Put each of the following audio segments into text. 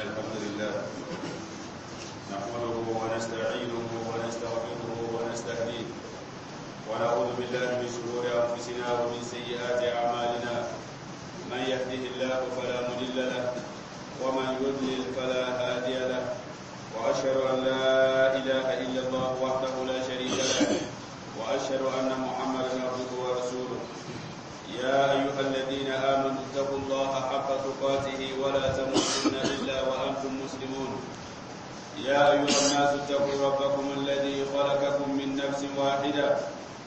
الحمد لله نحمده ونستعينه ونستغفره ونستهديه ونعوذ بالله من شرور أنفسنا ومن سيئات أعمالنا. من يهده الله فلا مضل له ومن يضلل فلا هادي له، وأشهد أن لا إله إلا الله وحده لا شريك له، وأشهد أن محمدا عبده ورسوله. يا أيها الذين آمنوا اتقوا الله حق تقاته ولا تموتن إلا وأنتم مسلمون. يا أيها الناس اتقوا ربكم الذي خلقكم من نفس واحدة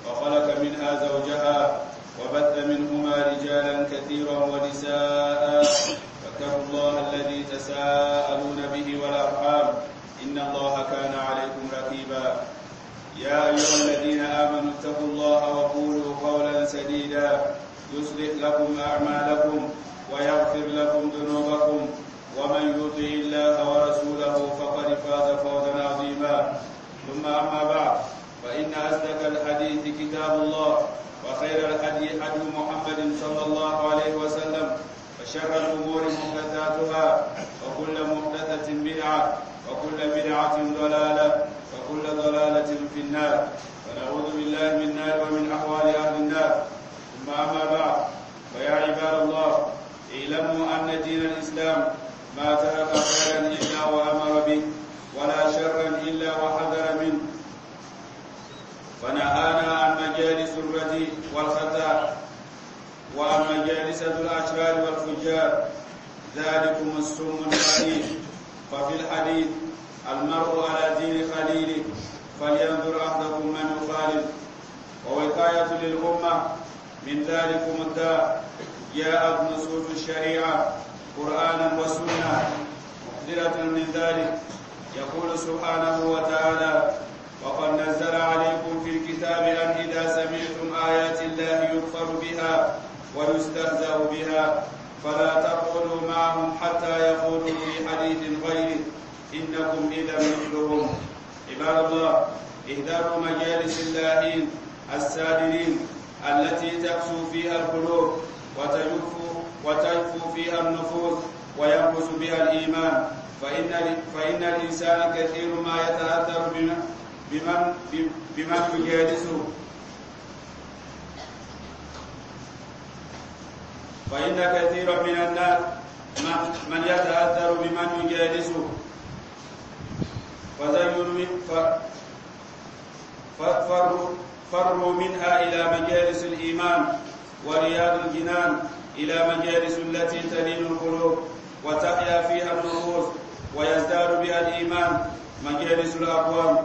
وخلق منها زوجها وبث منهما رجالا كثيرا ونساء، فاتقوا الله الذي تساءلون به والأرحام إن الله كان عليكم رقيبا. يا أيها الذين آمنوا اتقوا الله وقولوا قولا سديدا يصلح لكم أعمالكم ويغفر لكم ذنوبكم، ومن يطع الله ورسوله فقد فاز فوزا عظيما. ثم أما بعد، فإن أصدق الحديث كتاب الله، وخير الهدي هدي محمد صلى الله عليه وسلم، وشر الأمور محدثاتها، وكل محدثة بدعة، وكل بدعة ضلالة، وكل ضلالة في النار. ونعوذ بالله من النار ومن أحوال أهل النار. ثم أما بعد، فيا عباد الله، اعلموا أن دين الإسلام ما ترك خيرا إلا وأمر به، ولا شرا إلا وحذر منه. فنهانا عن مجالس الرديء والخطأ، وعن مجالس الأشرار والفجار، ذلكم السم الخبيث. ففي الحديث: المرء على دين خليله، فلينظر أحدكم من يخالل. ووقاية للأمة من ذلكم الداء جاءت نصوص الشريعة قرآنا وسنة محذرة من ذلك. يقول سبحانه وتعالى: وقد نزل عليكم في الكتاب أن إذا سمعتم آيات الله يكفر بها ويستهزأ بها فلا تقعدوا معهم حتى يخوضوا في حديث غيره، إنكم إذا مثلهم. عباد الله، اهدروا مجالس اللاهين السادرين التي تكسو فيها القلوب وتجفو فيها النفوس وينقص بها الإيمان. فإن الإنسان كثير ما يتأثر بمن يجالسه. فإن كثيرا من الناس من يتأثر بمن يجالسه، فروا منها إلى مجالس الإيمان ورياض الجنان، إلى مجالس التي تلين القلوب وتحيا فيها النفوس ويزداد بها الإيمان، مجالس الأقوام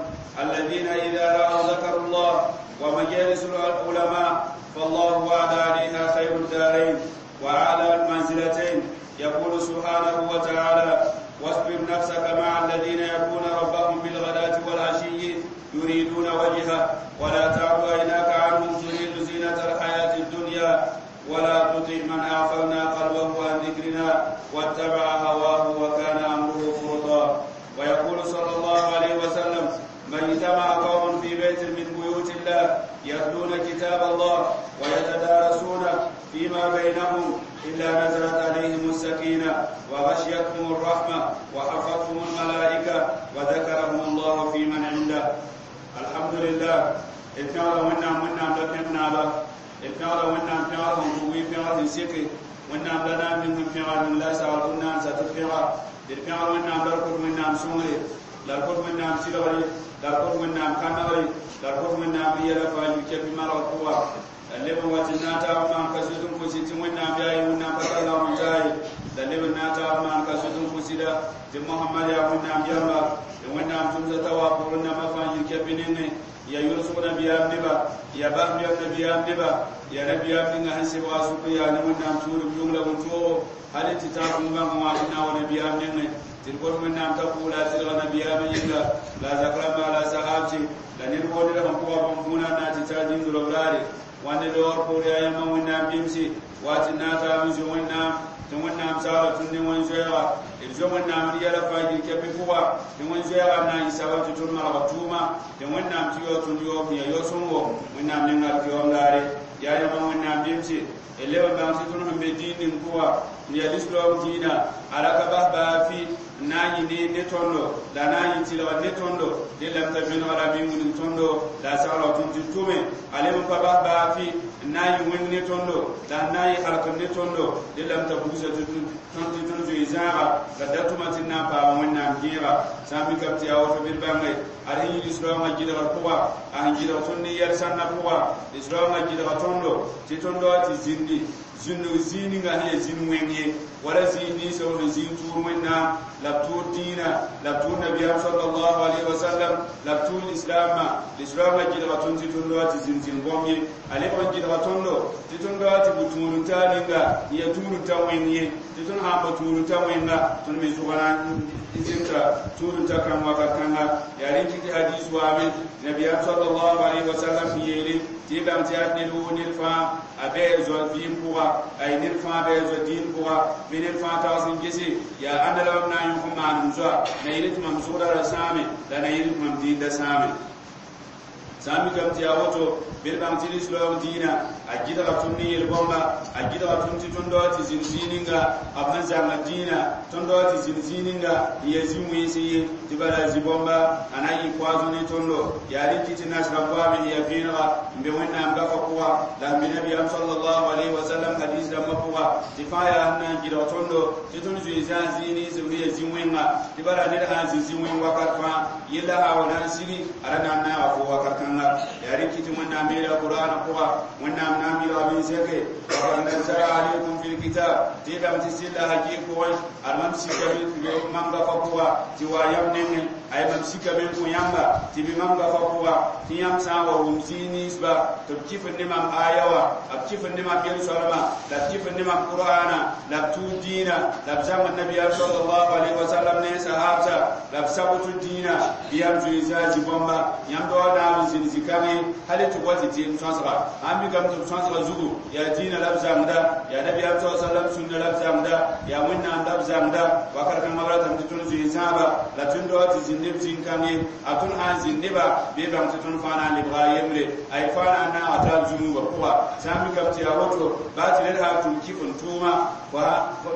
الذين إذا رأوا ذكروا الله، ومجالس العلماء، فالله وعد عليها خير الدارين وأعلى المنزلتين. يقول سبحانه وتعالى: واصبر نفسك مع الذين يدعون ربهم بالغداة والعشي يريدون وجهه، ولا تعد عيناك عنهم تريد زينة الحياة الدنيا، ولا تطع من أغفلنا قلبه عن ذكرنا واتبع هواه وكان أمره فرطا. ويقول صلى الله عليه وسلم: من اجتمع قوم في بيت من بيوت الله يتلون كتاب الله ويتدارسون فيما بينهم إلا نزلت عليهم السكينة وغشيتهم الرحمة وحفتهم الملائكة وذكرهم الله في من عنده. الحمد لله. اتنارا ونعم ونعم لكنا لا اتنارا ونعم تنارا ونقوي في سيكي ونعم لنا من في لا سألنا ستفيرا اتنارا ونعم لركض ونعم سوري لركض ونعم سيلوري لركض ونعم كنوري لركض ونعم بيلا فايو كيف ما ركوا اللي هو تناتا ما كسوتم كسيتم ونعم يا ونعم فتلا ونجاي اللي ناتا ما كسوتم كسيدا تم محمد يا ونعم يا ونعم تمزة وقرنا ما فايو كيف نيني يا يوسف نبي أمنبا يا بهم يا نبي أمنبا يا نبي أمنبا هنسي واسوك يا نمنا تور بيوم لهم تو هل تتابع ما موعدنا ونبي أمنبا تقول من نام تقول لا تلغى نبي أمنبا لا ذكر ما لا سحابتي لأن القول لهم قوة بمفونا ناتي تاجين ذلوراري وأن دور قول يا يما ونام بيمسي واتنا تامزي ونام تمنام سارة تنين زيغا الزمن نام ريالا فاجر كبفوا تمن زيغا نا يسابة تتون مرغتوما تمن نام تيو تنيو يا يوسمو ونام نغال كيوم لاري يا يما ونام بيمسي اللي بان سيتون هم بدين نكوا يا الإسلام دينا على كبه بافي n na n yɩ neer ne tõndo la a na n yɩ tɩlgr ne tõndo dẽlame t'a vẽnega la me n wilg tõndo la a sagla tõnd tɩ tʋme a leb n pa bas baa fɩ n na n yɩ wẽng ne tõndo la n na n yɩ halkr ne tõndo dẽlame t'a bugsa tɩ tõnd tɩ tõnd zoe zãaga la da tʋma tɩ d na n paama Wẽnnaam kẽega. Sã n mikame tɩ yaa woto bɩ d bãnge ad sẽn yɩ lislaoongã gɩdgr pʋga, a sẽn gɩdg tõnd ne yɛl sãnna pʋga, lislaoongã gɩdga tõndo tɩ tõnd wa tɩ zĩndi zĩndg zĩig ninga sẽn yaa zĩnd wẽng ye, wala zĩig ninsã sẽn zĩig tʋʋr Wẽnnaam la b tʋʋr dĩinã la b tʋʋr nabiyaam sallallahu alaihi wasallam la b tʋʋr lislaamã. Lislaamã gɩdga tõnd tɩ tõnd wa tɩ zĩnd zĩnd bõmb ye. A lebg n gɩdga tõndo tɩ tõnd wa tɩ bʋ tũud-n-taa ninga n yaa tũud-n-ta wẽng ye, tɩ tõnd sã n pa tũud-n-ta wẽnga, tõnd me zʋga na n zẽmsa tũud-n-ta kãng wakat kãnga. Yaa rẽ kɩ tɩ hadis waame nabiyaam sallallahu alaihi wasallam sẽn yeele tɩ y bãng tɩ yaa ned woo, ned fãa a bɩ a zoa vɩɩm pʋga, ay ned fãa bɩ a zoa dĩin pʋga, bɩ ned fãa tags n gese yaa ãnda la mam na n yõk n maan m zoa na yɩl tɩ mam zʋgda ra sãame la na yɩl tɩ mam dĩinda sãame. Sã n mikame tɩ yaa woto, bɩ d bãng tɩ lislaoong dĩinã a gɩdga tõnd ne yel-bõmba, a gɩdga tõnd tɩ tõnd wa tɩ zĩnd zĩig ninga b sẽn zãnga dĩinã, tõnd wa tɩ zĩnd zĩig ninga n yaa zĩ-wẽns ye, tɩ bala zĩ-bõmba a na n yɩ poison ne tõndo. Yaa rẽ kɩ tɩ nasrã goame sẽn yaa vẽenega n be Wẽnnaam gafa pʋga la sẽn be nabiyaam sallallahu alaihi wasallam hadis rãmbã pʋga, tɩ fãa yaa sẽn na n gɩdg tõndo tɩ tõnd zoe zãag zĩig nins b sẽn yaa zĩ-wẽnga, tɩ bala ned sã n zĩ zĩ-wẽng wakat fãa yella sã wa na n sigi, a ra na n naaga fo wakat kãnga. Yaa rẽ kɩ tɩ Wẽnnaam yeela Qur'aana pʋga, Wẽnnaam na n bilga bɩ zɛke وقد نزل عليكم في الكتاب tɩ y bãng tɩ sɩlla hakɩɩg pʋgẽ ad mam sikame mam gafa pʋga tɩ wa yam nengẽ, ay mam sikame n kõ yãmba tɩ bɩ mam gafa pʋga tɩ yãmb sã n wa wʋm zĩig ninsba tɩ b kɩfd ne mam aya wã, b kɩfd ne mam yel-soalmã la b kɩfd ne mam Qur'aana la b tuud dĩinã la b zãmb nabiyaam sallallahu alaihi wasallam ne sahabsa la b sabot dĩinã, bɩ yãmb zoe zã zĩ-bõmba yãmb da wa naab n zĩnd zĩ-kãngẽ hal tɩ wa tɩ tɩɩm sõsga. Sãn mikame tɩ b sõsga zugu yaa dĩinã la b zãmda, yaa nabiyaam sa sallam sũnna la b zãmda, yaa Wẽnnaam la b zãmda, wakat kãngã b ratame tɩ tõnd zoe zãaba la tõnd da wa tɩ zĩnd neb zĩn-kãngẽ. A tõnd sã n zĩnd neba bɩ bãng tɩ tõnd fãa na n lebga a yembre, a y fãa na n naaga taab zũnugã pʋga. Sã n mikame tɩ yaa woto, baa tɩ ned sã n tʋm kɩf n tʋʋma,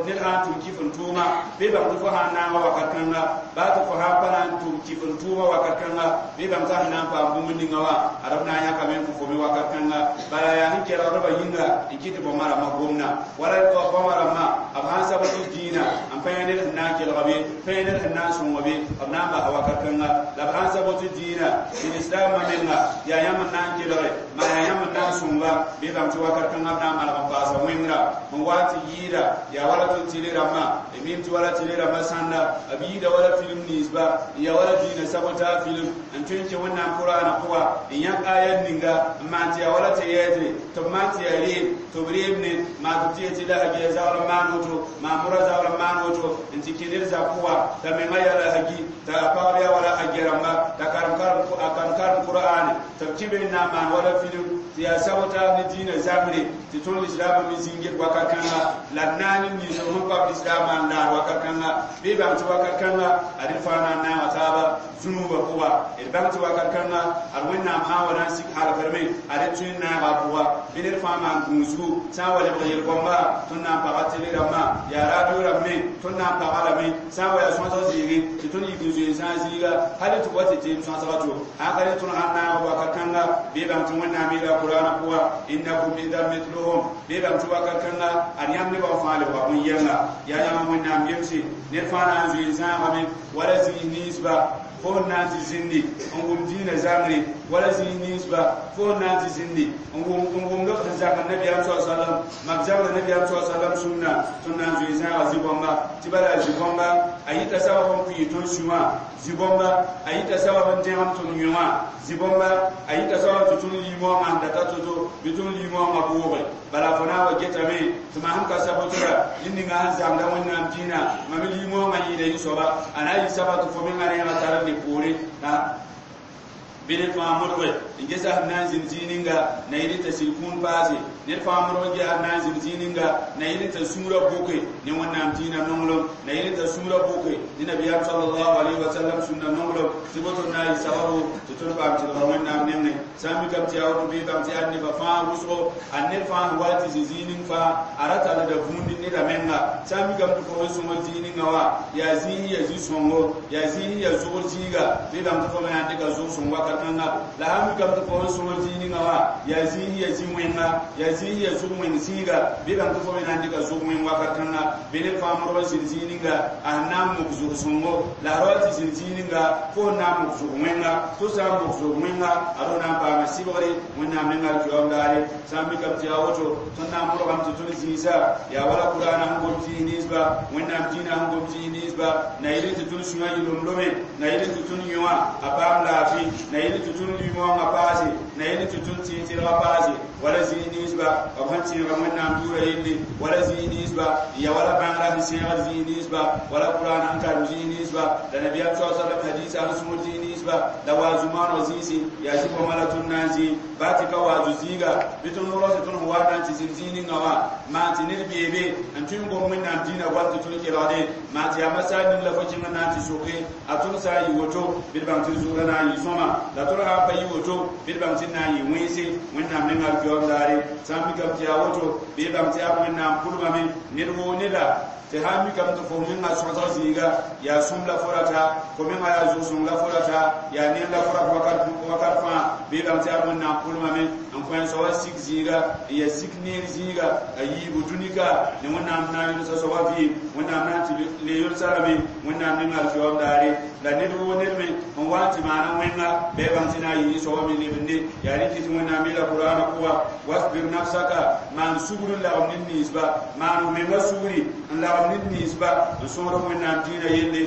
ned sã n tʋm kɩf n tʋʋma, bɩ bãng tɩ fo sã n naaga wakat kãnga, baa tɩ fo sã n pa na n tʋm kɩf n tʋʋma wakat kãnga, bɩ bãng tɩ sẽn na n paam bũmb ninga wã ad b na n yãkame n kõ fo me wakat kãnga. Bala yaa sẽn kelgdbã yĩnga n kɩt tɩ bõmba rãmbã gomna wala bõmba rãmbã b sãn sab tɩ dĩinã n pa yã ned sẽn na n kelga be, pa yã ned sẽn na n sõnga be, b na n basa wakat kãnga. La b sãn sab tɩ dĩinã tɩ lislaambã menga yaa yãmb n na n kelge maa yaa yãmb n na n sõnga, bɩ bãng tɩ wakat kãnga b na n malg n paasa wẽngra n wa tɩ yɩɩda yaa wala tõnd tɩle rãmbã d mim tɩ wala tɩle rãmbã sãnda b yɩɩda wala film ninsba n yaa wala dĩinã sabota film n tõe n kẽ Wẽnnaam Qur'aana pʋga n yãk aya ninga n maan tɩ yaa wala tɩ yɛɛtre tɩ b maan tɩ yaa reem tɩ b reem ne maa tɩ b tɩ yetɩ la hagi ya zagl n maan woto, maa mʋra zagl n maan woto n tɩ kẽ ned zab pʋga t'a menga yaa la hagi t'a pagb yaa wala hagi rãmba t'a karem a karem karem Qur'aane tɩ b kẽ be n na n maan wala film tɩ yaa sabota ne dĩinã zambre tɩ tõnd lislaambã me zĩnget wakat kãnga la d naan n ninsb sẽn pa lislaambã n laar wakat kãnga, bɩ bãng tɩ wakat kãnga ad d fãa na n naaga taaba zũnugã pʋga. D bãng tɩ wakat kãnga ad Wẽnnaam sã n wa na n sik halgrame ad d tõe n naaga a pʋga, bɩ ned fãa maan gũusgu sã n wa lebg yel-bõmba tõnd na n paga tele rãmbã yaa radio rãmbẽ tõnd na n paga lame sã n wa yaa sõsg zɩɩgẽ tɩ tõnd yik n zoe sã n zĩiga hal tɩ wa tɩ teem sõsga to sã ka rẽ tõnd sãn naaga wakat kãnga, bɩ bãng tɩ Wẽnnaam yeela Qur'aana pʋga innakum idan mithluhum, bɩ bãng tɩ wakat kãnga ad yãmb nebã fãa lebga bõn-yɛnga. Yaa yãmb Wẽnnaam gemse ned fãa na n zoe zãagame wala zĩig ninsba fo n na n tɩ zĩndi n wʋm dĩinã zãngre, wala zĩig ninsba fo n na n tɩ zĩndi n wʋmd b sẽn zãmb nabiyaam sa sallam mam zãmda nabiyaam sa sallam sũnna, tõnd na n zoe zãaga zĩ-bõmba tɩ bala zĩ-bõmba a yita sabab n pʋɩ tõnd sũwã, zĩ-bõmba a yita sabab n dẽgem tõnd yõ wã, zĩ-bõmba a yita sabab tɩ tõnd limoongã sẽn data to-to bɩ tõnd limoongã bʋʋge. Bala fo na n wa getame tɩ mam sẽn ka sabotora ned ninga sẽn zãmda Wẽnnaam dĩinã, mam limoongã yɩɩda yĩ soaba a na n yɩ saba tɩ fo mengã rẽegã tar n le poore. Bɩ ned fãa modge n gesa sẽn na n zĩnd zĩig ninga na yɩl t'a sɩd kũun paase. Ned fãa modg n gesa sẽn na n zĩnd zĩig ninga na yɩl t'a sũurã bʋke ne Wẽnnaam dĩinã nonglem, na yɩl t'a sũurã bʋke ne nabiyaam sallallahu alaihi wasallam sũnna nonglem, tɩ boto na n yɩ sababu tɩ tõnd paam tɩlgra Wẽnnaam nengẽ. Sã n mikame tɩ yaa woto bɩ bãmb tɩ yaa nebã fãa wʋsgo, a ned fãa sẽn wa tɩ zĩ zĩig ning fãa a ra tallda vũud ne neda menga. Sã n mikame tɩ fo sẽn sõngr zĩig ninga wã yaa zĩig yaa zĩ-sõngo, yaa zĩig yaa zʋgr zĩiga, bɩ bãmb tɩ fo me na n dɩka zʋg-sõng wakat kãnga. La sã n mikame tɩ fo sẽn sõngr zĩig ninga wã yaa zĩig yaa zĩ-wẽnga, yaa zĩig yaa zʋg-wẽng zĩiga, bɩ bãmb tɩ fo me na n dɩka zʋg-wẽng wakat kãnga. Bɩ ned fãa modg n zĩnd zĩig ninga a sẽn na n mok zʋg-sõngo, la a ra wa tɩ zĩnd zĩig ninga fo sẽn na n mok zʋg-wẽnga. Tɩ sã n mok zʋg-wẽnga a ro na n paama sɩbgre Wẽnnaam nengã alkiyoom daare. Sã n mikame tɩ yaa woto, tõnd na n modgame tɩ tõnd zĩisa yaa wala Kuraana sẽn gom zĩis ninsba, Wẽnnaam dĩinã sẽn gom zĩis ninsba, na yɩl tɩ tõnd sũyã yɩ lomlome, na yɩl tɩ tõnd yõa a paam laafɩ, na yɩl tɩ tõnd lũy-maoongã paase, na yɩl tɩ tõnd tẽeg-tɩrgã paase, wala zĩis ninsba b sẽn tẽega Wẽnnaam yʋʋra yelle, wala zĩis ninsba n ya wala bãngrã sẽn sẽegd zĩis ninsba, wala Kuraana sẽn karem zĩis ninsba, la nabiyaam sa sallam hadiisã sẽn sõor zĩis ninsba, la waazu maaneg zĩisi yaa zĩ-bõmba la tõnd na n zĩ. Baa tɩ ka waazu zĩiga bɩ tõnd rao tɩ tõnd sẽn wa na n tɩ zĩnd zĩig ninga wã maan tɩ ned beebe n tõe n gom Wẽnnaam dĩinã goam tɩ tõnd kelgde, maan tɩ yaa masaar ning la fo kẽng n na n tɩ soke a tõnd sã n yɩ woto bɩ d bãng tɩ zʋgrã na n yɩ sõma, la tõnd sã n pa yɩ woto bɩ d bãng tɩ d na n yɩ wẽnse Wẽnnaam nengã alkiyoom daare. Sã n mikame tɩ yaa woto bɩ bãng tɩ yaa Wẽnnaam pʋlgame ned woo neda tɩ sã n mikame tɩ fo menga sõsg zĩiga yaa sõm la fo rata, fo menga yaa zʋg-sõng la fo rata, yaa ned la fo rat wakat fãa, bɩ bãng tɩ yaa Wẽnnaam pʋlmame n kõ soaba sik zĩiga n yaa sik neer zĩiga a yiibu dũnika ne Wẽnnaam na n yʋlsa soaba vɩɩm, Wẽnnaam na n tɩ le yʋlsa rame Wẽnnaam nengã alkiyoom daare. La ned woo ned me n wa n tɩ maana wẽnga bɩ bãng tɩ na n yɩ soaba me lebende. Yaa rɩkɩ tɩ Wẽnnaam yeela Kuraana pʋga: wasbir nafsaka, maan sugr n lagem ned ninsba, maan menga sugri n lagem ned ninsba n sõgd Wẽnnaam dĩinã yelle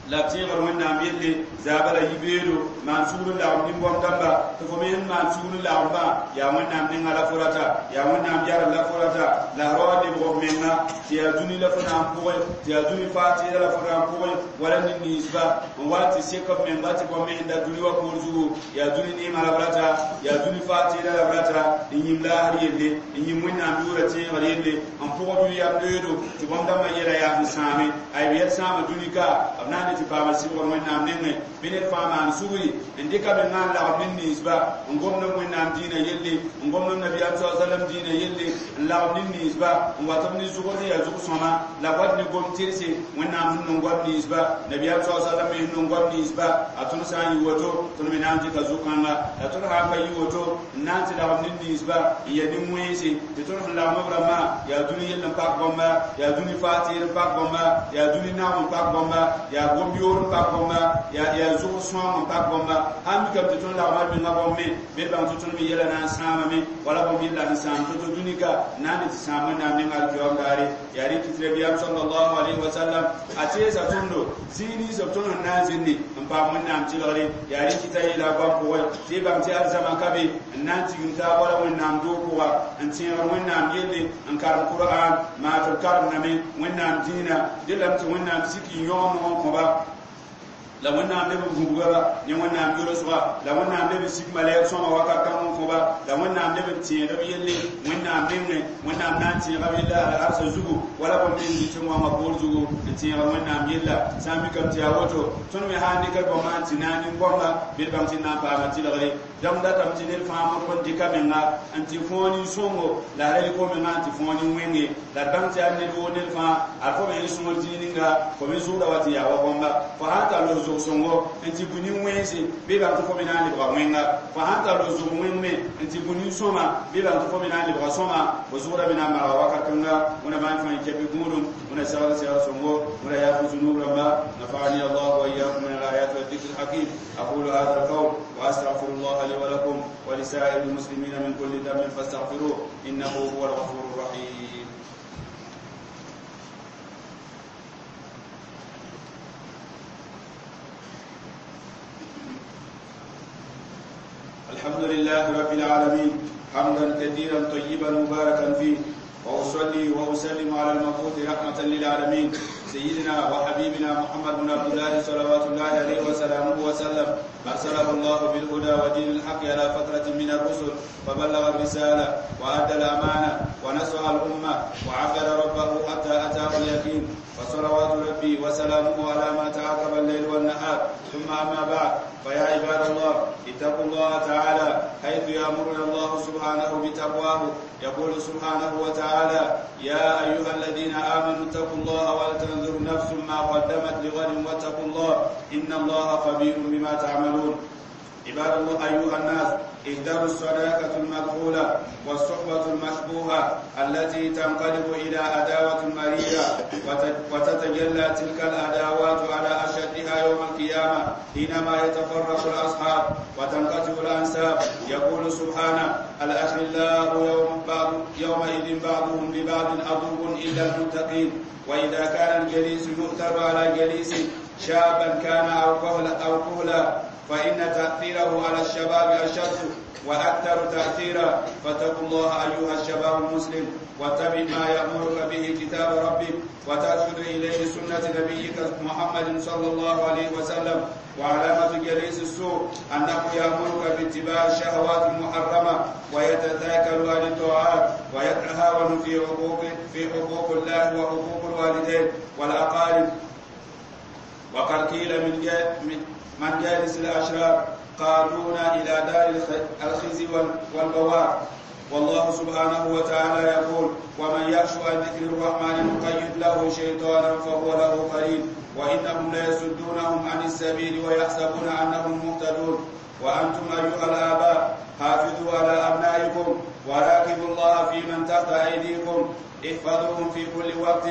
la tẽegr Wẽnnaam yelle zaaba la yibeoodo, maan sugr n lagem nin-bõmb dãmba tɩ fo me sẽn maan sugr n lagemba yaa Wẽnnaam nengã la fo rata, yaa Wẽnnaam yarl la fo rata, la ra wa lebg f menga tɩ yaa dũni la fo na n pʋgẽ, tɩ yaa dũni faa tẽeda la fo na n pʋgẽ, wala ned ninsba n wa tɩ sek b menga tɩ bõmb me sẽn da dũni wã poor zugu yaa dũni neemã la b rata, yaa dũni faa tẽeda la b rata, n yĩm laasr yelle, n yĩm Wẽnnaam yʋʋra tẽegr yelle, n pʋgd yam loeedo tɩ bõmb dãmbã yɛla yaa sẽn sãame ay b yɛl sãama dũni ka b na n tɩ paama sɩbgr Wẽnnaam nengẽ. Bɩ ned fãa maan sugri n dɩka menga n lagem ned ninsba n gomd Wẽnnaam dĩinã yelle, n gomd nabiyaam sa sallam dĩinã yelle, n lagem ned ninsba n wat b ne zʋgr sẽn yaa zʋg-sõma, la b wat ne gom tɩrse Wẽnnaam sẽn nong goam ninsba, nabiyaam sa sallam me sẽn nong goam ninsba. A tõnd sã n yɩ woto tõnd me na n dɩka zʋ-kãnga, la tõnd sã n pa yɩ woto n na n tɩ lagem ned ninsba n yaa nin-wẽnse tɩ tõnd sẽn lagem b rãmbã yaa dũni yell n pak bãmba, yaa dũni faa tɩɩr n pak bãmba, yaa dũni nagm n pak bãmba, yaa gom-yoor n pak bãmba, yaa zʋg sõam n pak bãmba. Sãn mikame tɩ tõnd lagma b menga bãmb me bɩ d bãng tɩ tõnd me yɛla na n sãamame wala bãmb yella sẽn sãam to-to dũnika na n tɩ sãam Wẽnnaam nengã alkiyoom daare. Yaa rɩk tɩ nabiyaam sallallahu alaihi wasallam a teesa tõndo zĩig nins b tõnd sẽn na n zĩnde n paam Wẽnnaam tɩlgre. Yaa rɩk t'a yeela a goam pʋgẽ tɩ y bãng tɩ arzãmã ka be n na n tigim taab wala Wẽnnaam doog pʋga n tẽegr Wẽnnaam yelle, n karem Kur'an maa tɩ b karemdame Wẽnnaam dĩinã dẽ lame tɩ Wẽnnaam sik n yõgem n kõba, la Wẽnnaam leb n gũbga ba ne Wẽnnaam yolsga, la Wẽnnaam leb n sik malɛk sõma wakat kãng n kõ ba, la Wẽnnaam leb n tẽeg b yelle Wẽnnaam nengẽ. Wẽnnaam na n tẽega b yella al-arsã zugu wala bõmb ning dɩ tɩ wãngã poor zugu n tẽegr Wẽnnaam yella. Sã n mikame tɩ yaa woto tõnd me sã n dɩkd bõmba n tɩ na n nin-bõmba bɩ d bãng tɩ d na n paama tɩlgre. Dãmb datame tɩ ned fãa modg n dɩka menga n tɩ fõo nin-sõngo, la a ra yɩ fo menga n tɩ fõo nin-wẽnge, la d bãng tɩ yaa ned woo ned fãa ad fo me n sõor zĩig ninga fo me zʋʋda wa tɩ yaa wa bõmba. Fo sã n tar los zʋg-sõngo n tɩ bũ nin-wẽnse bɩ bãng tɩ fo me na n lebga wẽnga, fo sã n tar los zʋg wẽng me n tɩ bũ nin-sõma bɩ bãng tɩ fo me na n lebga sõma. Fo zʋʋda me na n marga wakat kãnga. Wẽna maan fãa kɛpɩ gũudum, wẽna segl segr sõngo, wẽna yaaf zunub rãmba. Nafa'ani Allah wa iyyakum min al-ayat wa dhikr al-hakim. Aqulu hadha al-qawl wa astaghfirullah li wa lakum wa li sa'iril muslimina min kulli dhanbin fastaghfiruh innahu huwal ghafurur rahim. الحمد لله رب العالمين حمدا كثيرا طيبا مباركا فيه، وأصلي وأسلم على المبعوث رحمة للعالمين سيدنا وحبيبنا محمد بن عبد الله صلوات الله عليه وسلامه وسلم. أرسله الله بالهدى ودين الحق على فترة من الرسل، فبلغ الرسالة وأدى الأمانة ونصح الأمة وعبد ربه حتى أتاه اليقين. فصلوات ربي وسلامه على ما تعاقب الليل والنهار. ثم أما بعد، فيا عباد الله، اتقوا الله تعالى حيث يأمرنا الله سبحانه بتقواه. يقول سبحانه وتعالى: يا أيها الذين آمنوا اتقوا الله ولتنظر نفس ما قدمت لغد واتقوا الله إن الله خبير بما تعملون. عباد الله، أيها الناس، اهدروا الصداقة المدخولة والصحبة المشبوهة التي تنقلب إلى عداوة مريرة، وتتجلى تلك العداوات على أشدها يوم القيامة حينما يتفرق الأصحاب وتنقطع الأنساب. يقول سبحانه: الأخلاء يومئذ بعضهم لبعض عدو إلا المتقين. وإذا كان الجليس يؤثر على جليس شابا كان أو كهلا، فإن تأثيره على الشباب أشد وأكثر تأثيرا. فاتقوا الله أيها الشباب المسلم، واتبع ما يأمرك به كتاب ربك، وترشد إليه سنة نبيك محمد صلى الله عليه وسلم. وعلامة جليس السوء أنه يأمرك باتباع الشهوات المحرمة، ويتثاكل عن الطاعات، ويتهاون في حقوق الله وحقوق الوالدين والأقارب. وقد قيل من جالس الأشرار قادونا إلى دار الخزي والبوار. والله سبحانه وتعالى يقول: ومن يعش عن ذكر الرحمن نقيض له شيطانا فهو له قرين، وإنهم ليصدونهم عن السبيل ويحسبون أنهم مهتدون. وأنتم أيها الآباء حافظوا على أبنائكم، وراقبوا الله في من تحت أيديكم، احفظوهم في كل وقت،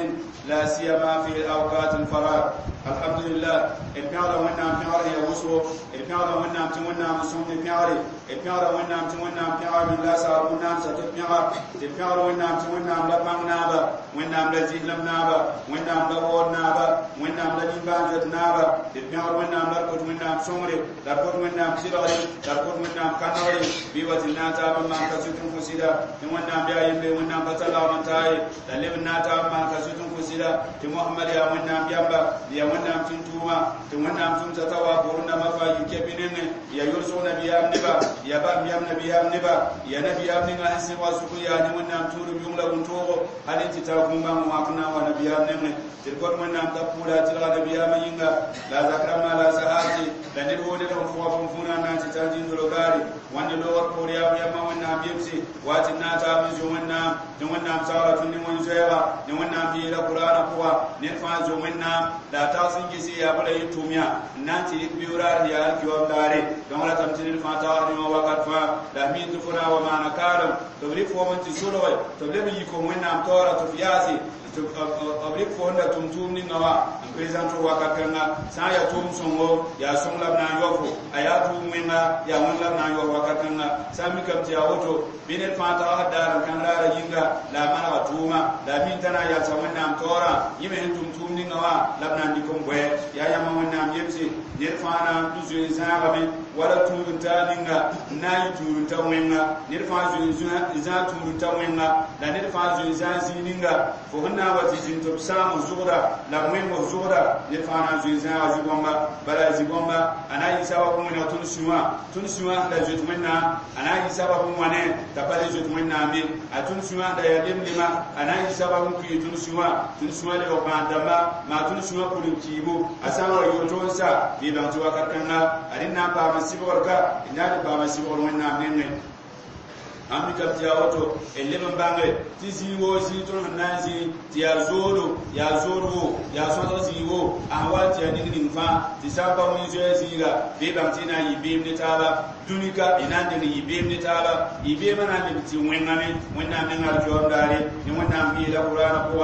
لا سيما في أوقات الفراغ. الحمد لله. البيعة ونعم بيعة يا وسو، البيعة ونعم تونعم سون بيعة، البيعة ونعم تونعم بيعة من لا سار ونعم ستة بيعة، البيعة ونعم تونعم لا بان نابا، ونعم لا زيلم نابا، ونعم لا ور نابا، ونعم لا نبان جت نابا، البيعة ونعم لا كوت ونعم سمري، لا كوت ونعم سيراري، لا كوت ونعم كناري، بيوتنا تاب ما كسيتم كسيدا، ونعم بيا يمبي ونعم بتلا ونتاي، للبنا تاب ما كسيتم كسيدا، تمحمد يا ونعم بيامبا، يا ونعم تنتوما، تونام تنتوا بورنا ما فا يكبينن يا يرسو نبيام نبا يا بام يام نبيام نبا يا نبيام نيغا انسي واسكو يا ني ونام تورو يوم لا بنتوغو هل انت تاكم ما ماكنا ونبيام نن تلكون ونام تقولا تلغا نبيام ينغا لا ذكرما لا سهاتي لا ندو ندو فوا فونا نانتي تاجين دولغاري وان لور كوريا يا ما ونام يمسي واتنا تام زو ونام ونام سارة ني ون زيغا ني ونام بي لا قران قوا نفا زو ونام لا تاسين جسي يا بلا يتوميا نانتي بيورار يا كيوم داري دون لا تمتين الفاتا ني وقت فا لا مين تفنا وما نكارم تبلي فو من تسولوي تبلي يكون ونام تورا تفياسي أبليك فهنا تمتوم نينوا بريزانتو وكاكنا سايا توم سونغو يا سون لبنا يوفو أيا توم منا يا ون لبنا يوفو وكاكنا سامي كم تياوتو بين الفاتا هدار كان لا رجينغا لا منا توما لا مين تنا يا سوينا تورا يمهن تمتوم نينوا لبنا نيكم بوي يا يا ما ونا يمسي نرفانا نزوي زاغمي ولا تورن تانينغا ناي تورن تاوينغا نرفا زوي زا تورن تاوينغا لا نرفا زوي زا زينينغا فهنا وتجين تبسام زغرا لا مهم زغرا نرفانا زوي زا زغومبا بلا زغومبا انا يسوا كومنا تونسوا تونسوا لا زوت منا انا يسوا كومنا تبالي زوت منا مي اتونسوا دا يدم لما انا يسوا كومي تونسوا تونسوا لو باندما ما تونسوا كولكيبو اسامو يوتونسا بيبان توا كاكنا ارينا با مسيبوركا إنادي با مسيبور ونا نين ammi kam ti ya woto elle ban bange ti ziwo zi to na zi ti ya zoro ya so ziwo a wa ti ya ning ning fa ti samba mun zo zinga be bang ti na yibim ne taba dunika ina de ni yibim ne taba yibe mana ne ti wenga me wenna me ngal jom dare ni wenna mi la qur'ana ko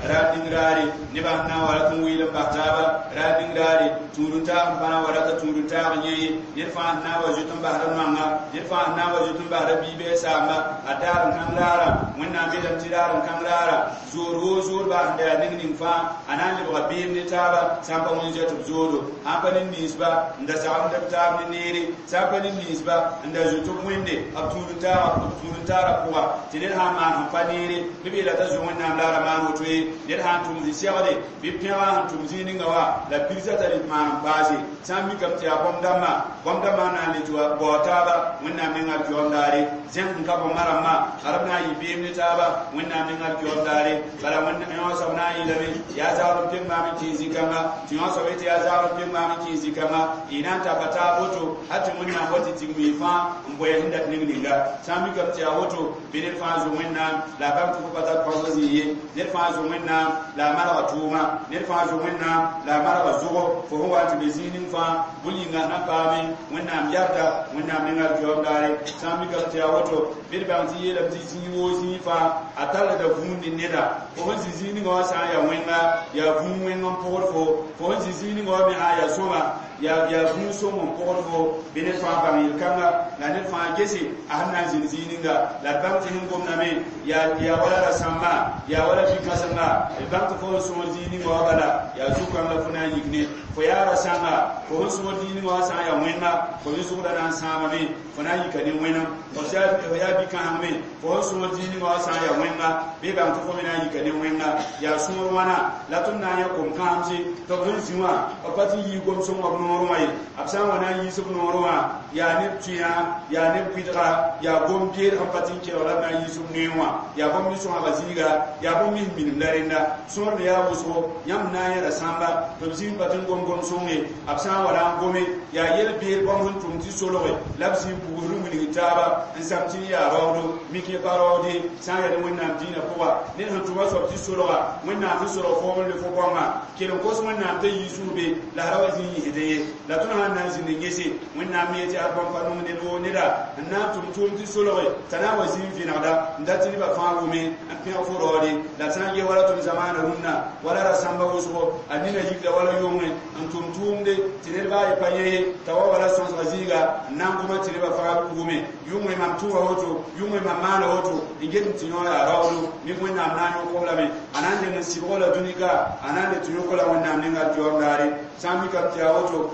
ra ding rare ne ba na wala tun wi la taba ra ding rare turunta bana wala ta turunta nye ne fa na wa jutun ba ran manga ne fa na wa jutun ba rabi be sa a daar n kãng raara wẽnnaam beelame tɩ raar n kãng raara zoor woo zoor baa sẽn da yaa ning ning fãa a na n lebga beem ne taaba sã n pa wẽn zoɛ tɩ b zoodo sã n pa ne ninsba n da sagd b taab ne neere sã n pa ne ninsba ninsba n da zoet b wẽnde b tũud-n-taarã pʋga tɩ ned sã n maan sẽn pa neere bɩ b yeela t'a zoe wẽnnaam la a ra maan woto ye ned sã n tʋm zĩ-segde bɩ pẽgã sẽn tʋm zĩig ninga wã la pirsã t'a rɩt maan n paase sã n mikame tɩ yaa bõmb-dãmbã bõmb-dãmbã n na n le tɩ wa bao taaba wẽnnaam nengã d daare zẽng n ka bõmba rãmbã ad b na n yɩ beem ne taaba wẽnnaam nengã d daare bala yõ soab na n yeelame yaa zagl n peng maam n kẽes zĩ-kãnga tɩ yõ soab yetɩ yaa zagl n peng maam n kẽes zĩ-kãnga y na n taka taab woto hal tɩ wẽnnaam wa tɩ tigim y fãa n boe sẽn dat ning ninga sã n mikame tɩ yaa woto bɩ ned fãa zo wẽnnaam la a bãng tɩ fo pa tar pãsg zĩig ye ned fãa zo wẽnnaam la a malga tʋʋma ned fãa zo wẽnnaam la a malga zʋgo fo sẽn wa n tɩ be zĩig ning fãa bũn-yĩnga na paame wẽnnaam yarda wẽnnaam nengã d daare sã n mikame tɩ yaa woto bɩ d bãng tɩ yeelame tɩ zĩig woo zĩig fãa a tallda vũun ne neda fo sẽn zĩ zĩig ninga wã sã n yaa wẽnga yaa vũun wẽng n pʋgd fo fo sẽn zĩ zĩig ninga wã me sã n yaa sõma yaa vũun sõm n pʋgd fo bɩ ned fãa bãng yel-kãnga la ned fãa gese a sẽn na n zĩnd zĩig ninga la d bãng tɩ sẽn gomdame yaa wala rasãmbã yaa wala bi-kãsenga d bãng tɩ fo sẽn sõor zĩig ninga wã bala yaa zu-kãng la fo na n yik ne fo yaa rasãnga fo sẽn sõor zĩig ninga wã sã n yaa wẽnga fo me zʋgda na n sãamame fo na n yika ne wẽnem fo yaa bi-kãseng me fo sẽn sõor zĩig ninga wã sã n yaa wẽnga bɩ bãng tɩ fo me na n yika ne wẽnga yaa sõor wãna la tõnd na n yã kom-kãsemse tɩ b sẽn zĩ wã b pa tɩ yii gom-sõngã b noorẽ wã ye b sã n wa na n yiis b noorẽ wã yaa neb tũyã yaa neb kʋɩdga yaa gom-beed sẽn pa tɩ n kelg la b na n yiis b noeẽ wã yaa bõmb nin sõsga zĩiga yaa bõmb nin minim la rẽnda sõor me yaa wʋsgo yãmb na n yẽda sãmba tɩ b zĩig pa tɩ n gom gom-sõnge b sã n wa na n gome yaa yel-beed bãmb sẽn tʋm tɩ solge la b zĩig pugsd n wilg taaba n sãm tɩ n yaa raoodo mik yẽ pa raoode sã n yaa ne wẽnnaam dĩinã pʋga ned sẽn tʋma soab tɩ solga wẽnnaam sẽn solg foom n le fo bãngã kell n kos wẽnnaam t'a yiis be la ra wa zĩig yĩsdẽ ye la tõnd sãn na n zĩnd n gese wẽnnaam me yetɩ ad bãmb pa nong ned woo neda n na n tʋm tʋʋm tɩ solge t'a na n wa zĩig vẽnegda n dat tɩ nebã fãa wʋme n pẽg fo raoode la sã n ge wala tõnd zamaana rũnnã wala rasãmbã wʋsgo a nina yikda wala yʋngẽ n tʋm tʋʋmde tɩ ned baa ye pa yẽ ye t'a wa wala sõsga zĩiga n na n goma tɩ nebã fãa wʋme yʋngẽ mam tʋʋga woto yʋngẽ mam maana woto n get n tɩ yõ yaa raoodo mik wẽnnaam na n yõk lame a na n leng n sɩbg la dũnika a na n le tɩ yõk la wẽnnaam nengã d daare sã n mikame tɩ yaa woto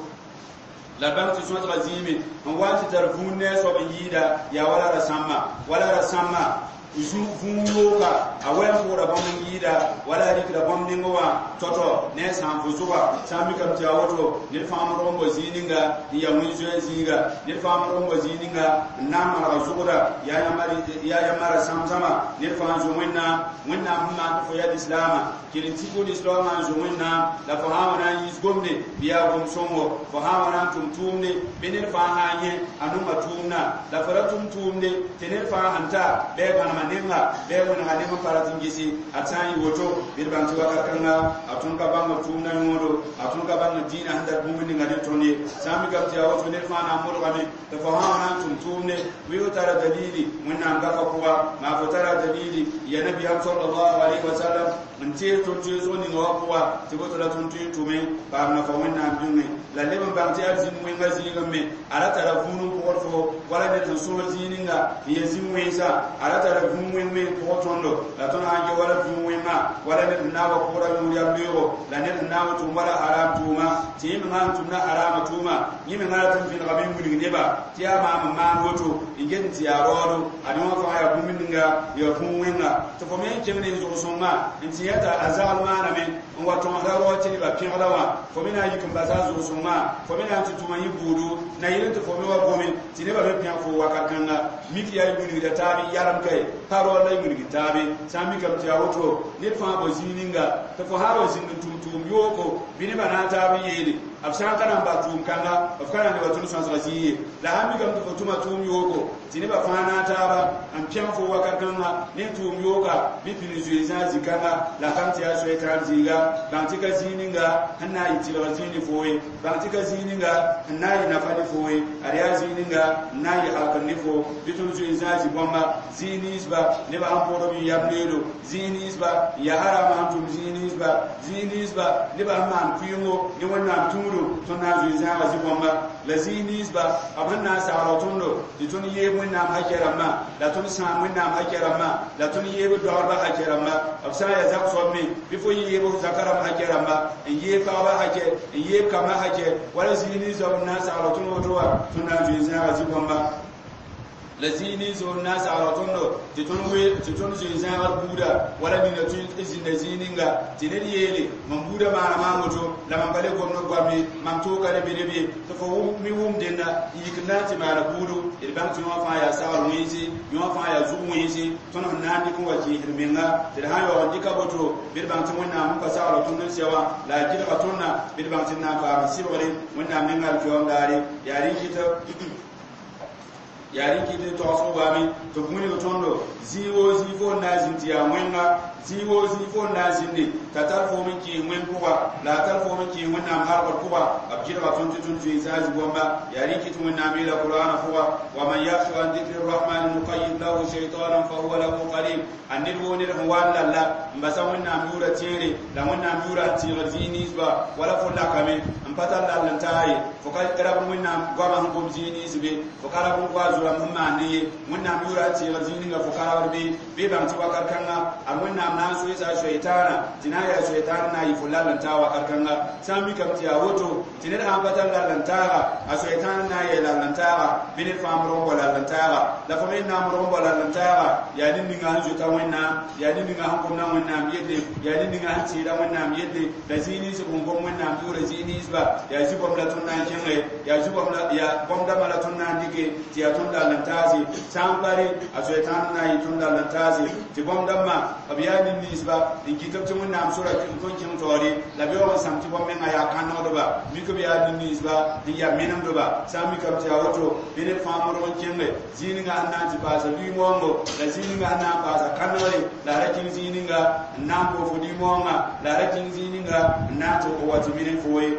la bãng tɩ sõsga zĩime n wa n tɩ tar vũun ne a soab n yɩɩda yaa wala rasãmbã wala rasãmbã vũun yooga a wa n pʋʋra bãmb n yɩɩda wala a rɩkda bãmb nengẽ wã tɔ-tɔ ne a sã n fo zʋga sã n mikame tɩ yaa woto ned fãa modg n bao zĩig ninga n yaa wẽn-zoɛɛ zĩiga ned fãa modg n bao zĩig ninga n na n manega zʋgda yaa yãmba rasãm-zãma ned fãa n zo wẽnnaam wẽnnaam sẽn maan tɩ fo yaa lislaamã kell n tik lislaamã n zo wẽnnaam la fo sã n wa na n yiis gomde bɩ yaa gom-sõngo fo sã n wa na n tʋm tʋʋmde bɩ ned fãa sã n yẽ a nonga tʋʋmdã la fo ra tʋm tʋʋmde tɩ ned fãa sẽn ta bɩ a gãnema nenga bɩ a wẽnega neng n pa rat n gese a sã n yɩ woto bɩ d bãng tɩ wakat kãnga a tõnd ka bãng b tʋʋmdã yõodo a tõnd ka bãng dĩinã sẽn dat bũmb ninga ne tõnd ye sã n mikame tɩ yaa woto ned fãa na n modgame tɩ fo sã wa na n tʋm tʋʋmde bɩ fo tara dalili wẽnnaam gafã pʋga maa fo tara dalili ya nabiyaam sallallahu alaihi wasallam n tees tõnd toeesg ninga wã pʋga tɩ boto la tõnd tõe n tʋme paam nafa wẽnnaam bĩŋe la leb n bãng tɩ yaa zĩnd wẽnga zĩigẽ me a ra tara vũun n pʋgd fo wala ned sẽn sõor zĩig ninga n ya zĩn wẽnsa a ra tara vũun wẽng me n pʋgd tõndo la tõnd sã n ge wala vũun wẽngã wala ned sẽn na n wa pʋgra yũud yam beoogo la ned sẽn na n wa tʋm wala haram tʋʋma tɩ yẽ mengã n tʋmda harama tʋʋma yẽ mengã rat n vẽnegame n wilg neba tɩ yaa maam n maan woto n get n tɩ yaa raoodo ad wã fãa yaa bũmb ninga yaa vũun wẽnga tɩ fo me n kẽng ne zʋg-sõngã n tɩ yã t'a a zagl maaname n wa tõsda rao tɩ nebã pẽgda wã fo me na n yik n basa a zʋg-sõngã fo me na n tɩ tʋma yẽ buudu na yɩl n tɩ fo me wa gome tɩ nebã me pẽg fo wakat kãnga mik yaa y wilgda taab n yalem kae pa raood la y wilg taabe sã n mikame tɩ yaa woto ned fãa bao zĩig ninga tɩ fo sã n wa zĩnd n tʋm tʋʋm yooko bɩ nebã na n taab n yeele b sã n ka na n bas tʋʋm kãnga b ka na n neba tõnd sõsga zĩig ye la sã n mikame tɩ fo tʋma tʋʋm yooko tɩ nebã fãa na n taaba n pẽg fo wakat kãnga ne tʋʋm yooka bɩ pĩnd zoe zãag zĩ-kãnga la bãng tɩ yaa soay tãab zĩiga bãng tɩ ka zĩig ninga sẽn na n yɩ tɩlg zĩig ne foo ye bãng tɩ ka zĩig ninga n na n yɩ nafa ne foo ye ad yaa zĩig ninga n na n yɩ halkr ne fo bɩ tõnd zoe zãag zĩ-bãmba zĩig ninsba nebã sẽn pʋgd b yam leelo zĩig ninsba n yaa harama sẽn tʋm zĩig ninsba zĩig ninsba nebã sẽn maan kʋɩɩngo ne wẽnnaam tũudu tõnd na n zoe zãagã zĩ-bãmba La zĩig ninsba b sẽn na n sagl tõndo tɩ tõnd yeeb Wẽnnaam hakɛ rãmbã, la tõnd sãam Wẽnnaam hakɛ rãmbã, la tõnd yeeb d dɔgdbã hakɛ rãmba. B sã n yaa zak soab me, bɩ fo yeeb f zaka rãmb hakɛ rãmba, n yeeb pagba hakɛ, n yeeb kambã hakɛ. Wala zĩig ninsba b na n sagl tõnd woto wã, tõnd na n zoe zãaga zĩ-bõmba. La zĩig nins b na n sagl tõndo tɩ tõnd zoe zãagr buuda, wala nina tõe n zĩnda zĩig ninga tɩ ned yeele: mam buudã maana maam woto, la mam pa le gomd goam ye, mam tooka le be ne b ye, tɩ fo mi wʋm dẽnda n yik n na n tɩ maana buudu. D bãng tɩ yõ fãa yaa sagr wẽnse, yõ fãa yaa zug wẽnse tõnd sẽn na n dɩk n wa kɩɩsd menga. Tɩ d sã n yaoog n dɩka boto, bɩ d bãng tɩ Wẽnnaam n pa sagl tõnd n sɛ wã, la a gɩdga tõndã, bɩ d bãng tɩ d na n paam sɩbgre Wẽnnaam nengã alkiyoom daare. Yaa rẽ kɩtɩ yaa rẽ kɩt tɩ togsg waame tɩ b wilg tõndo zĩig woo zĩig fo n na n zĩnd tɩ yaa wẽnga, zĩig woo zĩig fo n na n zĩnde t'a tar foom n kẽes wẽnd pʋga, la a tar foom n kẽes Wẽnnaam halgr pʋga. B gɩdga tõnd tɩ tõnd zoe zã zĩ-bõmba. Yaa rẽ kɩt Wẽnnaam yeela Kuraana pʋga: wa man yakshu an dikri rrahmani nuqayyid lahu shaytanan fa huwa lahu qarin. A ned woo ned sẽn wa n lalla n basa Wẽnnaam yʋʋra tẽere la Wẽnnaam yʋʋra n tẽegd zĩig ninsba, wala fo lakame n pa tar lall n taa ye, fo ka rab Wẽnnaam goamã sẽn gom zĩig nins be, fo ka rab n goa zʋrãmb sẽn maand ye Wẽnnaam yʋʋra n tẽegd zĩig ninga fo ka rabd be, bɩ bãng tɩ wakat kãnga ad Wẽnnaam na n soeesa a soɛtaana tɩ na n yaa soɛtaan n na n yɩ fo lall n taa wakat kãnga. Sã n mikame tɩ yaa woto, tɩ ned sã n pa tar lall n taaga, a soɛtaan n na n yɛɛ lall n taaga, bɩ ned fãa morg n bao lall n taaga, la fo me n na n morg n bao lall n taaga, yaa ned ninga sẽn zoeta Wẽnnaam, yaa ned ninga sẽn gomda Wẽnnaam yelle, yaa ned ninga sẽn tẽeda Wẽnnaam yelle, la zĩig nins b sẽn gom Wẽnnaam yʋʋra zĩig ninsba, yaa zĩ-bõmb la tõnd na n kẽnge, yaa zĩ-bõmb la yaa bõmb dãmbã la tõnd na n dɩke tɩ yaa tõnd lall n taase. Sã n pa rẽ, a soɛtãan n na n yɩ tõnd lall n taase. Tɩ bõmb dãmbã b yaa ned ninsba n kɩt b tɩ Wẽnnaam sora n tõn kẽng taoore, la b yaoog n sãm tɩ bõmb menga yaa kãnegdba, mik b yaa ned ninsba n yaa menemdba. Sã n mikame tɩ yaa woto, bɩ ned fãa modg n kẽnge zĩig ninga sẽn na n tɩ paasa lʋɩ-moongo, la zĩig ninga sẽn na n paasa kãnegre, la a ra kẽng zĩig ninga n na n pʋg fo lʋɩ-moongã, la a ra kẽng zĩig ninga n na n tɩ wa tɩ mine fo ye.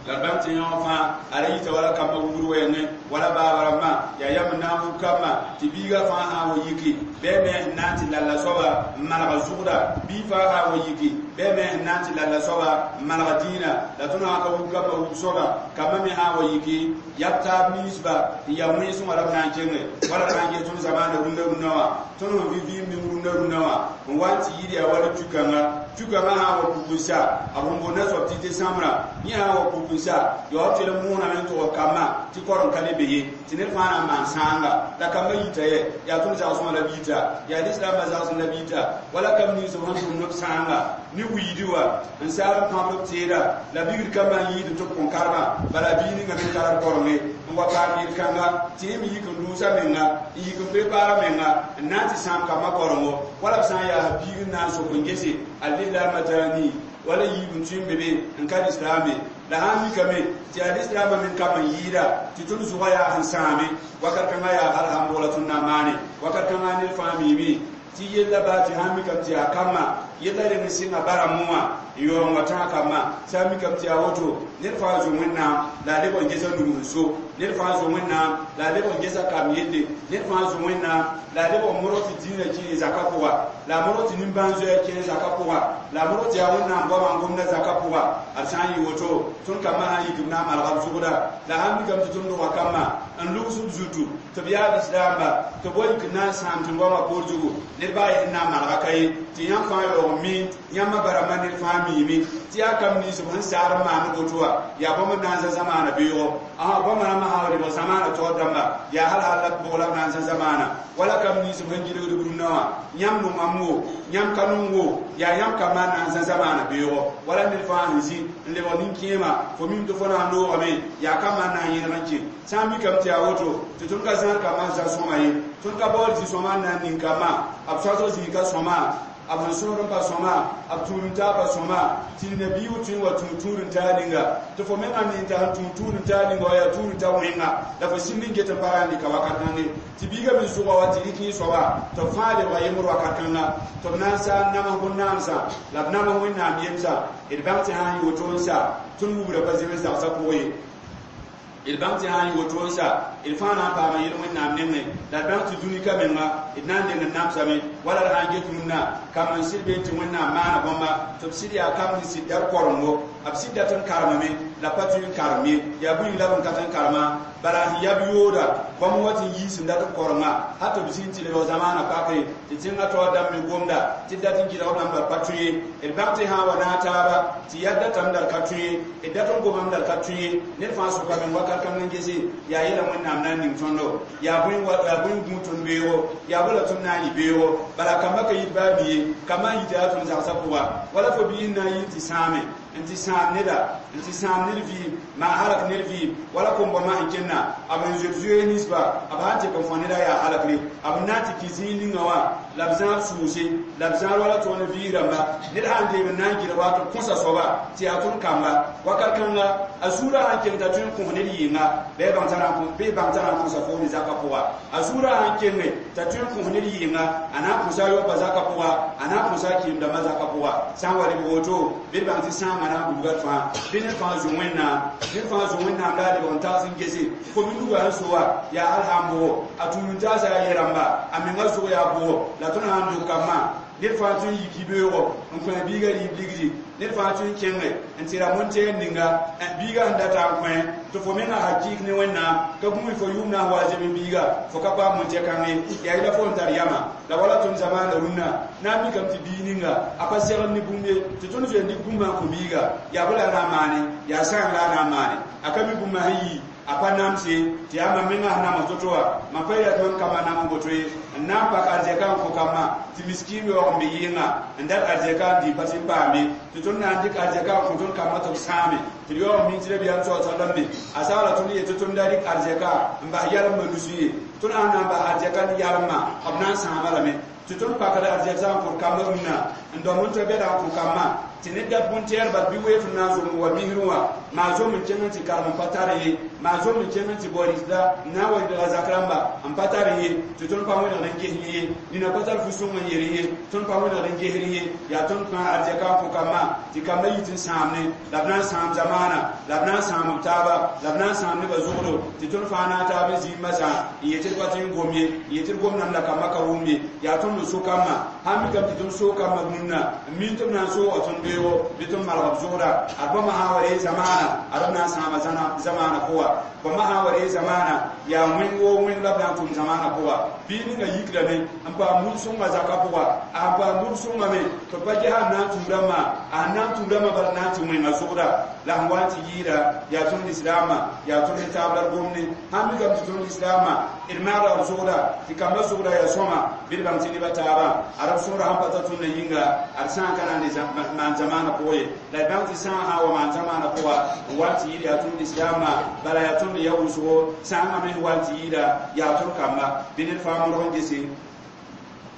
La bãmb tɩ yõ fãa a ra yita wala kambã wubr wɛɛngẽ, wala baaba rãmbã yaa yam n na n wub kambã, tɩ biigã fãa sã n wa yiki, bɩ a me n na n tɩ lalla soaba n malga zʋgda. Bii fãa sã n wa yiki, bɩ a me n na n tɩ lalla soaba n malga dĩinã. La tõnd sã n ka wub kambã wub soaba, kambã me sã n wa yiki, yab taab ninsba n yaa wẽnsẽ wã la b na n kẽnge. Wala b na n ges tõnd zamaana rũndã rũndã wã, tõnd sẽn vɩ vɩɩm ning rũndã rũndã wã n wa n tɩ yɩɩd yaa wala tu-kãnga. Tu-kãngã sã n wa puk n sa, b sẽn boonda soab tɩ tɩ sãmbrã, yẽ sã n wa puk n sa, yaood tɩ l mooname n tʋg kambã tɩ korem ka le be ye, tɩ ned fãa na n maan sãanga. La kambã yita yɛ, yaa tõnd zagsẽ wã la b yita, yaa lislaambã zagsẽ la b yita, wala kam nins b sẽn tʋmd b sãanga ne wiidi wã n saar n pãb b teeda la bigr kambã n yɩɩd tɩ b kõn karema. Bala bii ninga me tar b korenge n wa paam yel-kãnga tɩ yẽ me yik n dʋʋsa menga, n yik n prepaara menga n na n tɩ sãam kambã korengo. Wala b sã n yaa biig n na n sok n gese a lislaamã taani, wala yiib n tõe n be be n ka lislaame, la sã n mikame tɩ yaa lislaamã men kam n yɩɩda tɩ tõnd zʋga yaa sẽn sãame, wakat kãngã yaa hal sãn bʋgla tõnd na n maane. Wakat kãngã ned fãa miime tɩ yella baa tɩ sã n mikame tɩ yaa kambã yella reng n sɩnga barame wã n yaoog n wa tãag kambã. Sã n mikame tɩ yaa woto, ned fãa zo Wẽnnaam la a lebg n gesa nug n so, ned fãa zo Wẽnnaam la a lebg n gesa kam yelle, ned fãa zo Wẽnnaam la a lebg n modg tɩ dĩinã kẽe zaka pʋga, la a modg tɩ nimbãan-zoɛɛ kẽe zaka pʋga, la a modg tɩ yaa Wẽnnaam goamã n gomda zaka pʋga. Ad sã n yɩ woto, tõnd kambã sã n yik b na n malga b zʋgda. La sã n mikame tɩ tõnd doga kambã n lugs b zutu tɩ b yaa lislaamba, tɩ b wa yik n na n sãam tẽn-goamã poor zugu, ned baa yen n na n malga ka ye, tɩ yãmb fãa yaoog n mi yãmba barãmbã ned fãa miime tɩ yaa kam nins b sẽn saar n maand woto wã yaa bõmb n na n zã zamaana beoogo. Ã bõmba rãmbã sã wa lebg zamaana taoor dãmba, yaa hal hal la bʋg la b na n zã zamaana. Wala kam nins b sẽn gilgd b rũndã wã, yãmb nongame wo, yãmb ka nong wo, yaa yãmb kambã n na n zã zamaana beoogo. Wala ned fãa sẽn zĩ n lebg nin-kẽema, fo mim tɩ fo na n loogame, yaa kambã n na n yẽlg n kẽ. Sã n mikame tɩ yaa woto, tɩ tõnd ka zãad kambã n zã sõma ye, tõnd ka baood zĩ-sõma n na n ning kambã, b soasg zĩig ka sõma, b sẽn sõsd n pa sõma, b tũud-n-taab pa sõma, tɩ nabiig tõe n wa tũud tũud-n-taar ninga, tɩ fo mengã me n t'a sẽn tũud tũud-n-taar ninga wa yaa tũud-n-ta wẽnga, la fo sĩnd n get n pa ra n dɩka wakat kãnge, tɩ biigã me zʋga wa tɩ rɩk yẽ soaba, tɩ b fãa lebga yembr wakat kãnga, tɩ b na n sa n nams bõn-naamsã, la b nams Wẽnnaam yemsã. D bãng tɩ sã n yɩ woto n sa, tõnd wubra pa zems dagsã pʋgẽ ye. D bãng tɩ sã n yɩ woto n sa, D fãa na n paama yel-wẽnnaam nengẽ la d bãng tɩ dũni ka menga d na n deng n namsame wala d sã n get rũnnã kamb n sɩd bee tɩ wẽnnaam maana bãmba tɩ b sɩd yaa kamb sẽn sɩd dat korengo b sɩd dat n karemame la pa tõe n karem ye yaa bũmb la b n ka tõe n karema bala sẽn yab yooda bãmb wa tɩ n yiis n dat n korenga hal tɩ b zĩnd tɩ lebg zamaana pakre tɩ tẽngã taoor dãmb me gomda tɩ dat n gɩdg b rãmb la d pa tõe ye d bãng tɩ sã n wa naag taaba tɩ yaa datame la d ka tõe ye d dat n gomame la d ka tõe ye ned fãa sʋka meng wakat kãng n gese yaa yɛla wẽnnaam na n ning tõndo yaa bõe n gũ tõnd beoogo yaa bõe la tõnd na n yɩ beoogo bala kambã ka yit baa mi ye kambã n yita yaa tõnd zagsã pʋga wala fo biis na n yɩ tɩ sãame n tɩ sãam neda n tɩ sãam ned vɩɩm maa halak ned vɩɩm wala kom-bõmã sẽn kẽnna b n zoet zoees ninsba b sã n tɩk n fõ neda yaa halakre b na n tɩ kɩ zĩig ninga wã la b zãab sʋʋse la b zãad wala tõog ne vɩɩs rãmba ned sã n deem n na n gɩdg wato kõsa soaba tɩ yaa tõnd kamba wakat kãnga a zuurã sãn keng t'a tõe n kõs ned yɩnga bɩ bãng t'a na n kõsa foom zakã pʋga a zuurã sãn kenge t'a tõe n kõs ned yɩnga a na n kõsa a yaoopã zakã pʋga a na n kõsa a kɩɩm-dãmbã zakã pʋga sã n wa rɩg woto bɩ d bãng tɩ sãamã na n bulga d fãa bɩ ned fãa zũ wẽnnaam ned fãa zũ wẽnnaam la a lebg n tags n gese kom-nuga sẽn so wa yaa hal sã n bʋgo a tũud-n-taasã yaa yɛ-rãmba a menga zʋg yaa bʋgo la tõnd sã n dog kambã ned fãa tõe n yik yibeoogo n kõ a biigã rɩɩb ligdi ned fãa tõe n kẽnge n tɩ ra montɛɛr ninga biigã sẽn data n kõ tɩ fo menga hakɩɩk ne wẽnnaam ka gũus fo yʋʋm na n wa a zem biiga fo ka paam montɛ-kãng ye yaa yɩla fo n tar yama la wala tõnd zamaana rũnnã na n mikame tɩ biig ninga a pa segd ne bũmb ye tɩ tõnd zoe n dɩk bũmbã n kõ biiga yaa bõ la a na n maane yaa sãang la a na n maane a ka mi bũmbã sẽn yi a pa namse tɩ yaa mam menga sẽn nams to-to wã mam pa yɛl tɩ mam kambã nam n boto ye n na n pak arzɛka n kõ kambã tɩ miskiim yaoog n be yɩɩnga n dat arzɛka n dɩ pa tɩ n paame tɩ tõnd na n dɩk arzɛka n kõ tõnd kambã tɩ b sãame tɩ d yaoog n mi tɩ rabiyaam sa sallam me a saala tõnd yet tɩ tõnd da dɩk arzɛka n bas yalembã nusi ye tõnd sãn na n bas arzɛka ne yalembã b na n sãama lame tɩ tõnd pakd arzɛk sã n kʋd kambã rũnnã n dõmb n tɩ bɛda n kõ kambã tɩ ned dat bõn-tɛɛrbã bɩ weef n na n zom wa misrẽ wã maa zom n kẽng n tɩ karem n pa tar ye maa zom n kẽng n tɩ bao rɩsda n na n wa rɩdga zak rãmba n pa tar ye tɩ tõnd pa wẽnegd n ges ye nina pa tar fu-sõng n yel ye tõnd pa wẽnegd n gesr ye yaa tõnd kã arzɛka n kõ kambã tɩ kambã yit n sãamne la b na n sãam zamaana la b na n sãam b taaba la b na n sãam nebã zogdo tɩ tõnd fãa na n taab n zĩig masã n yet tɩ d pa tɩ n gom ye n yet tɩ d gomdame la kambã ka wʋm ye yaa tõnd n so kambã sãn mikame tɩ tõnd soog kambã rũnnã n min tɩ b na n sooga tõnd beoogo bɩ tõnd malg b zʋgda ad bãmba sã n wa ree zamaana ad b na n sãama zamaana pʋga bãmba sã n wa ree zamaana yaa wẽng woo wẽng la b na n tʋm zamaana pʋga bɩ ninga yikrame n paam bũmb sõngã zakã pʋga a sẽn paam bũmb sõnga me tɩ b pa ges a na n tũu rãmbã a sẽn na n tũu rãmbã bala na n tɩ wẽnga zʋgda la sẽn wa n tɩ yɩɩda yaa tõnd lislaamã yaa tõnd ne taab la d gomne sãn mikame tɩ tõnd lislaamã d maagda b zʋgda tɩ kambã zʋgda yaa sõma bɩ d bãng tɩ nebã taabã ad b sõora sẽn pa ta tõndã yĩnga ad sã n ka na n maan zamaana pʋgã ye la d bãng tɩ sã n sã wa maan zamaana pʋga n wa n tɩ yɩɩd yaa tõnd lislaamã bala yaa tõnd ya wʋsgo sãangã me sẽn wa n tɩ yɩɩda yaa tõnd kamba bɩ ned fãa modg n gese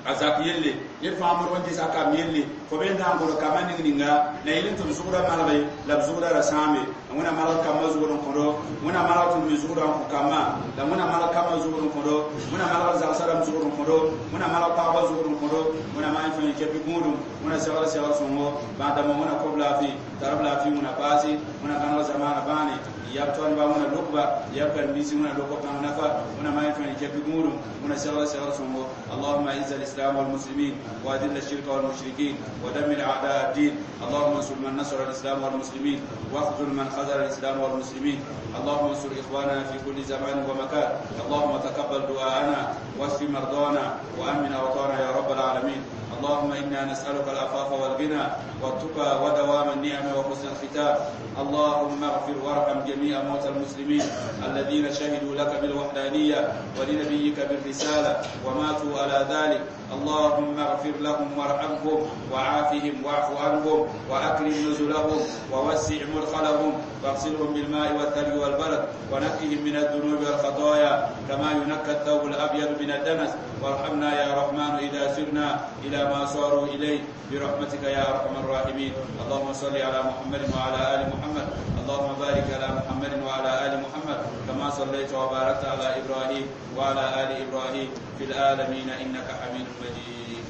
a zak yelle ned fãa modg n ges a kamb yelle fo be n na n gõd kambã ning ninga la yel n tɩ b zʋgda malge la b zʋgda ra sãame wẽna malg kambã zʋgd n kõdo wẽna malg tɩ me zʋgda n kõ kambã la wẽna malg kambã zʋgd n kõdo wẽna malg zagsã rãmb zʋgd n kõdo wẽna malg pagbã zʋgd n kõdo wẽna maan fãa kɛpɩ gũudum wẽna segl segl sõngo bãad-dãmbã wẽna kob laafɩ tar b laafɩ wẽna paase wẽna gãneg zamaana bãane yab tõndba wẽna lokba yab karen-biisi wẽna lok b tãng nafa wẽna maan fãa kɛpɩ gũudum wẽna segl segl sõngo اللهم اعز الاسلام والمسلمين واذل الشرك والمشركين ودمر اعداء الدين اللهم انصر من نصر الاسلام والمسلمين واخذل من خذل الاسلام والمسلمين اللهم انصر اخواننا في كل زمان ومكان اللهم تقبل دعاءنا واشف مرضانا وامن اوطانا يا رب العالمين اللهم انا نسالك العفاف والغنى والتقى ودوام النعم وحسن الختام اللهم اغفر وارحم جميع موتى المسلمين الذين شهدوا لك بالوحدانيه ولنبيك بالرساله وماتوا على ذلك اللهم اغفر لهم وارحمهم وعافهم واعف عنهم واكرم نزلهم ووسع مدخلهم واغسلهم بالماء والثلج والبرد ونقهم من الذنوب والخطايا كما ينقى الثوب الابيض من الدنس وارحمنا يا رحمن اذا سرنا الى ما صاروا اليه برحمتك يا ارحم الراحمين اللهم صل على محمد وعلى ال محمد اللهم بارك على محمد وعلى ال محمد كما صليت وباركت على ابراهيم وعلى ال ابراهيم في العالمين انك حميد مجيد.